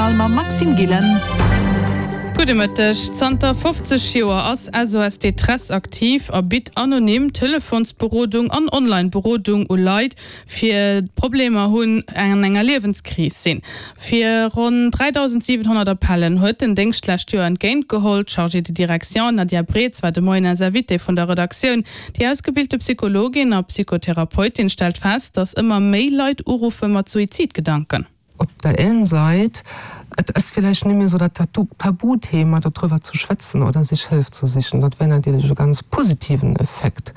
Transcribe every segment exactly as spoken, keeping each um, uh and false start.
Journal mam Maxime Gillen. Gudde Mëtteg. Zanter fofzeg Joer ass S O S Détresse aktiv a bitt anonym Telefonsberodung an Online-Berodung u Leit, fir Problemer hunn an enger Liewenskris sinn. Fir ronn dräidausendsiwenhonnert Appellen huet den Déngscht d'lescht Joer entgéintgeholl. D'Chargée de direction Nadia Breetz war de Moien eis Invitée vun der Redaktioun. Déi ausgebilte Psychologin a Psychotherapeutin stellt fest, datt ëmmer méi Leit uruffe mat Suizidgedanken. Op der een Säit, et ass villäicht net méi esou dat Tabuthema, dodriwwer ze schwätzen oder sech Hëllef ze sichen. Dat wär natierlech e ganz positiven Effekt.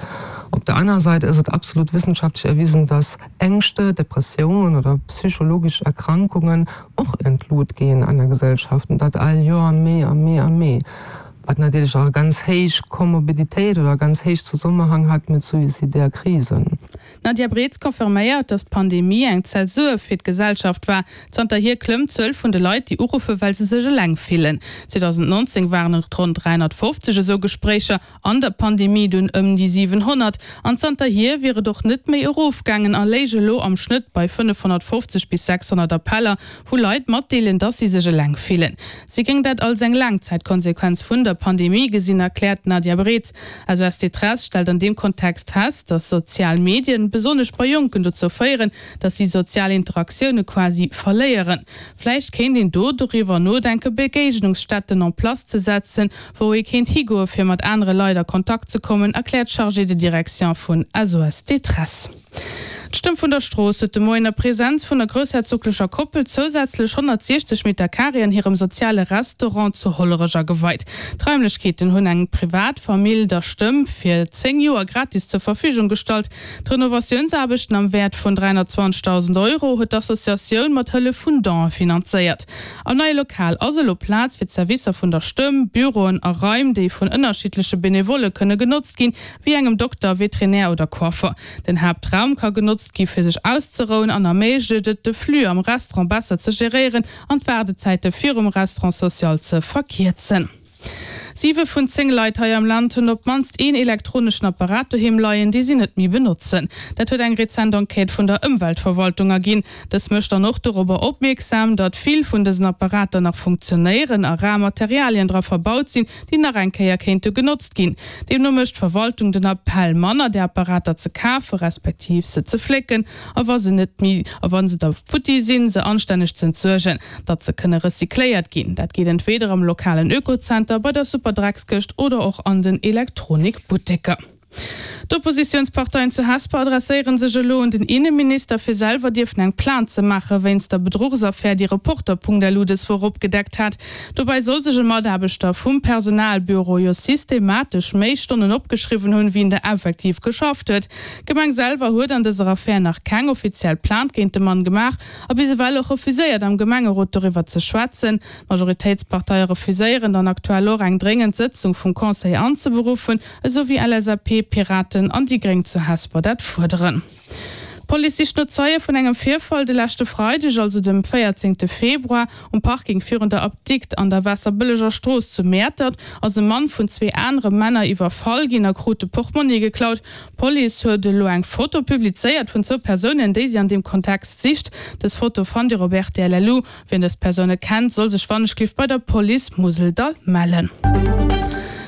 Op der aner Säit ass et absolut wissenschaftlech erwisen, dass Ängschte, Depressiounen oder psychologesch Erkrankungen och an d'Lut ginn an der Gesellschaft, an dat all Joer méi a méi a méi. Wat natierlech och e ganz héich Komorbiditéit oder e ganz héich Zesummenhang hat mat suizidär Krisen. D'Nadia Breetz confirméiert, datt d'Pandemie eng Zäsur fir d'Gesellschaft war. Zanterhier klëmmt d'Zuel vun de Leit, déi uruffen, well se sech eleng fillen. zweedausendnonzéng waren et ronn dräihonnertfofzeg esou Gespréicher, an der Pandemie dunn ëm déi siwenhonnert. An zanterhier wier et och net méi erofgaangen a léich elo am Schnëtt bei fënnefhonnertfofzeg bis sechshonnert Appeller, wou Leit matdeelen, datt si sech eleng fillen. Si géing dat als eng Laangzäitkonsequenz vun der Pandemie gesinn, erkläert d'Nadia Breetz. S O S Détresse stellt an deem Kontext fest, datt sozial Medien, besonnesch bei Jonken, dozou féieren, datt si sozial Interaktioune quasi verléieren. Vläicht kéint een do doriwwer nodenken, Begéignungsstätten en place ze setzen, wou ee kéint higoe fir mat anere Leit a Kontakt ze kommen, erkläert d'Chargée de direction vun S O S Détresse. D'Stëmm vun der Strooss huet de Moien a Presenz vun der groussherzoglecher Koppel zousätzlech honnertsiechzeg Meter Carré an hirem soziale Restaurant zu Hollerech ageweit. D'Raimlechkeeten hunn eng privat Famill der Stëmm fir zéng Joer gratis zur Verfügung gestallt. D'Renovatiounsaarbechten am Wäert vun dräihonnertzwanzegdausend Euro huet d'Associatioun mat Hëllef vun Donen finanzéiert. Am neie Lokal ass elo Plaz fir d'Servicer vun der Stëmm, Büroen a Raim, déi vun ënnerschiddleche Benevolle kënne genotzt ginn, wéi engem Dokter, Veterinär oder Coiffer. Den Haaptraum ka genotzt gi fir sech auszerouen an erméiglecht et, de Flux am Restaurant besser ze geréieren an d'Waardezäite virum Restaurant social ze verkierzen. Siwe vun zéng Leit hei am Land hunn op d'mannst een elektroneschen Apparat doheem leien, dee si net méi benotzen. Dat huet eng rezent Enquête vun der Ëmweltverwaltung erginn. Dës mécht dann och dorobber opmierksam, datt vill vun dësen Apparater nach funktionéieren a rar Materialien dra verbaut sinn, déi nach eng Kéier kéinte genotzt ginn. Deemno mécht d'Verwaltung den Appell, manner där Apparater ze kafe respektiv se ze flécken a wa se net méi a wa se da futti sinn, se anstänneg z'entsuergen, datt se kënne recycléiert ginn. Dat geet entweder am lokalen Ökozenter, bei der Superdreckskëscht oder och an den Elektronikbutteker. D'Oppositiounsparteien zu Hesper adresséiere sech elo un den Inneminister, fir selwer dierfen eng Plainte ze maache wéinst der Bedruchsaffär, déi Reporter Punkt L U dës Woch opgedeckt hat. Dobäi soll sech e Mataarbechter vum Personalbüro jo systematesch méi Stonnen opgeschriwwen hunn, wéi en der effektiv geschafft huet. D'Gemeng selwer huet an dëser Affär nach keng offiziell Plainte géint de Mann gemaach a bis ewell och refuséiert, am Gemengerot doriwwer ze schwätzen. D'Majoritéitsparteie refuséieren dann aktuell och, eng dréngend Sëtzung vum Conseil anzeberuffen, esou wéi L S A P, Piraten an déi Gréng zu Hesper dat fuerderen. D'Police sicht no Zeie vun engem Virfall de leschte Freideg, also dem véierzéngte Februar, um Parking virun der Apdikt an der Waasserbëlleger Strooss zu Mäertert ass e Mann vun zwee anere Männer iwwerfall ginn a krut de Portmonni geklaut. D'Police huet elo eng Foto publizéiert vun zwou Persounen, déi si an deem Kontext sicht. Dës Foto fannt Dir op R T L L U. Wien dës Persoune kennt, soll sech wannechgelift bei der Police Museldall mellen.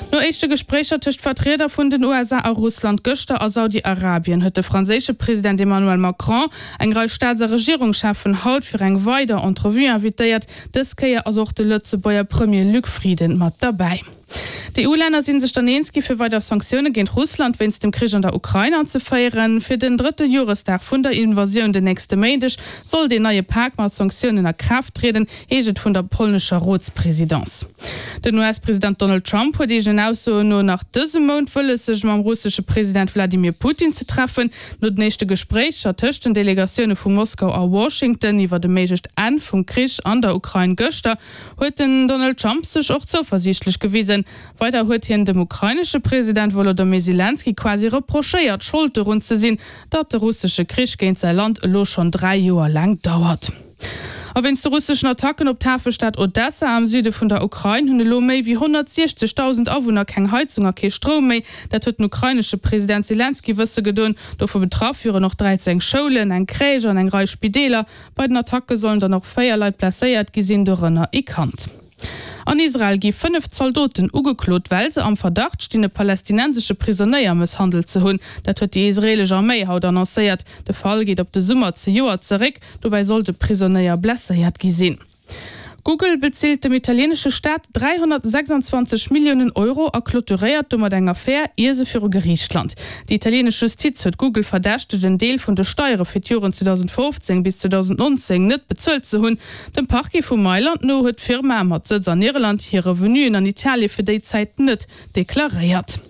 No éischte Gespréicher tëscht Vertrieder vun den U S A a Russland gëschter a Saudi-Arabien huet de franséische President Emmanuel Macron eng Rei Staats- a Regierungscheffen haut fir eng weider Entrevue invitéiert. Dës Kéier ass och de Lëtzebuerger Premier Luc Frieden mat derbäi. D'E U-Länner sinn sech dann eens gi fir weider Sanktioune géint Russland wéinst dem Krich an der Ukrain anzeféieren. Fir den drëtte Joresdag vun der Invasioun den nächste Méindeg soll deen neie Pak mat Sanktiounen a Kraaft trieden, heescht et vun der polnescher Rotspresidence. Den U S-President Donald Trump huet eegenen Aussoen no nach dëse Mount wëlles, sech mam russesche President Wladimir Putin ze treffen. No den éischte Gespréicher tëscht den Delegatioune vu Moskau a Washington iwwer de méiglecht Enn vum Krich an der Ukrain gëschter huet den Donald Trump sech och zouversiichtlech gewisen. Weider huet hien dem ukrainesche President Volodymyr Zelensky quasi reprochéiert, Schold dorun ze sinn, datt de russesche Krich géint säi Land elo schonn dräi Joer laang dauert. A wéinst de russeschen Attacken op d'Hafestad Odessa am Süde vun der Ukrain hunn elo méi wéi honnertsiechzegdausend Awunner keng Heizung a kee Stroum méi. Dat huet den ukrainesche President Selenskyj wësse gedoen. Dovu betraff wieren och dräizéng Schoulen, eng Crèche an eng Rei Spideeler. Bei den Attacke sollen dann och véier Leit blesséiert gi sinn, dorënner ee Kand. An Israel gi fënnef Zaldoten ugeklot, well se am Verdacht stinn, e palästinensesche Prisonéier mësshandelt ze hunn. Dat huet déi israeelesch Arméi haut annoncéiert. De Fall geet op de Summer zejoert zeréck. Dobäi soll de Prisonéier blesséiert gi sinn. Google bezilt dem italieenesche Staat dräihonnertsechsandzwanzeg Milliounen Euro a clôturéiert domat eng Affär, ier se viru Geriicht lant. Déi italieenesch Justiz huet Google verdächtegt, en Deel vun de Steiere fir d'Joren zweedausendfofzéng bis zweedausendnonzéng net bezuelt ze hunn. Dem Parquet vu Mailand no huet d'Firma mat Sëtz an Irland hir Revenuen an Italie fir déi Zäit net deklaréiert.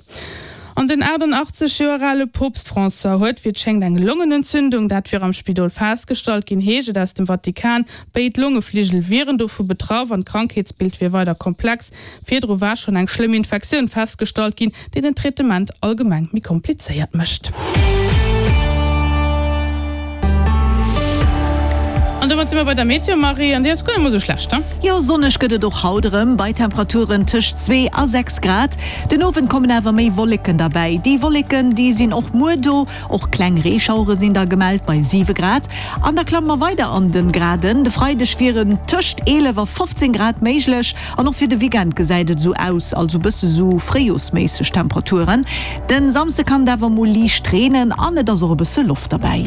An den achtundachtzeg Joer ale Poopst François huet, wéi et schéngt, eng Longenentzündung. Dat wier am Spidol festgestallt ginn, heescht et aus dem Vatikan. Béid Longefligel wieren dovu betraff an d'Krankheetsbild wier weider komplex. Virdru war schonn eng schlëmm Infektioun festgestallt ginn, déi den Traitement allgemeng méi komplizéiert mécht. An domat si mer bei der Meteo, Marie, an déi ass guer net mol esou schlecht, he? Jo, sonneg gëtt et och haut erëm, bei Temperaturen tëscht zwee a sechs Grad. Den Owend kommen awer méi Wolleken derbäi. Déi Wolleken, déi sinn och muer do, och kleng Reeschauere sinn da gemellt bei siwe Grad. An da klamme mer weider an de Graden, de Freideg wieren tëscht eelef a fofzéng Grad méiglech an och fir de Weekend gesäit et esou aus, also bësse sou fréijorsméisseg Temperaturen. Den Samsde kann et awer mol liicht reenen an et ass och e bësse Loft derbäi.